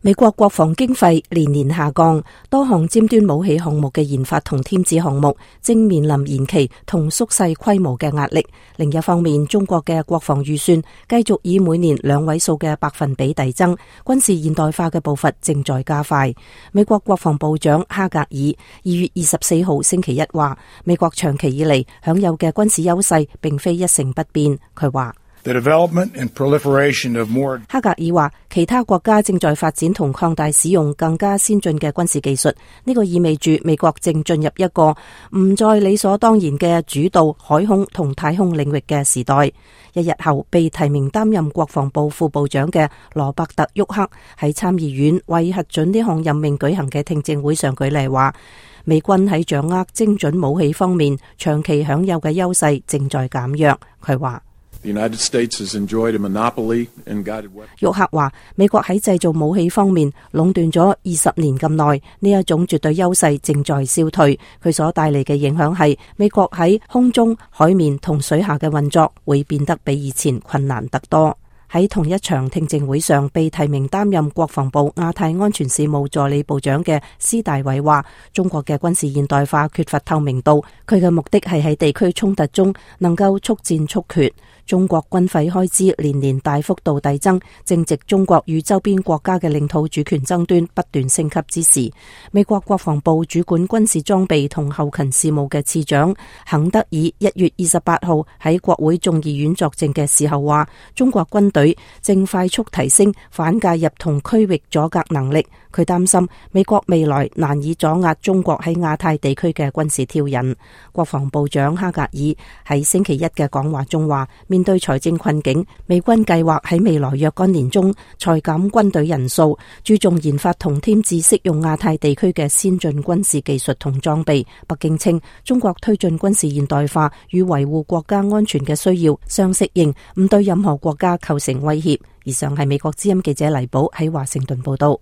美國國防經費年年下降，多項尖端武器項目嘅研發同添置項目正面臨延期同縮細規模嘅壓力。另一方面，中國嘅國防預算繼續以每年2位數嘅百分比遞增，軍事現代化嘅步伐正在加快。美國國防部長哈格爾2月24號星期一話，美國長期以嚟享有嘅軍事優勢並非一成不變。佢話哈格爾話，其他國家正在發展同擴大使用更加先進嘅軍事技術，呢個意味住美國正進入一個唔再理所當然嘅主導海空同太空領域嘅時代。一日後，被提名擔任國防部副部長嘅羅伯特·沃克喺參議院為核准呢項任命舉行嘅聽證會上舉例話，美軍喺掌握精準武器方面長期享有嘅優勢正在減弱。佢話沃克話，美國喺製造武器方面壟斷咗20年咁耐，呢一種絕對優勢正在消退。佢所帶嚟嘅影響係，美國喺空中、海面同水下嘅運作會變得比以前困難得多。喺同一場聽證會上，被提名擔任國防部亞太安全事務助理部長嘅施大偉話，中國嘅軍事現代化缺乏透明度，佢嘅目的係喺地區衝突中能夠速戰速決。中國軍費開支年年大幅度遞增，正值中國與周邊國家嘅領土主權爭端不斷升級之時。美國國防部主管軍事裝備同後勤事務嘅次長肯德爾1月28號喺國會眾議院作證嘅時候話，中國軍隊正快速提升反介入同區域阻隔能力。佢擔心美國未來難以阻壓中國喺亞太地區嘅軍事挑釁。國防部長哈格爾喺星期一嘅講話中話，面對財政困境，美軍計劃喺未來若干年中裁減軍隊人數，注重研發同添置適用亞太地區嘅先進軍事技術同裝備。北京稱，中國推進軍事現代化與維護國家安全嘅需要相適應，唔對任何國家構成威脅。以上係美國之音記者黎寶喺華盛頓報道。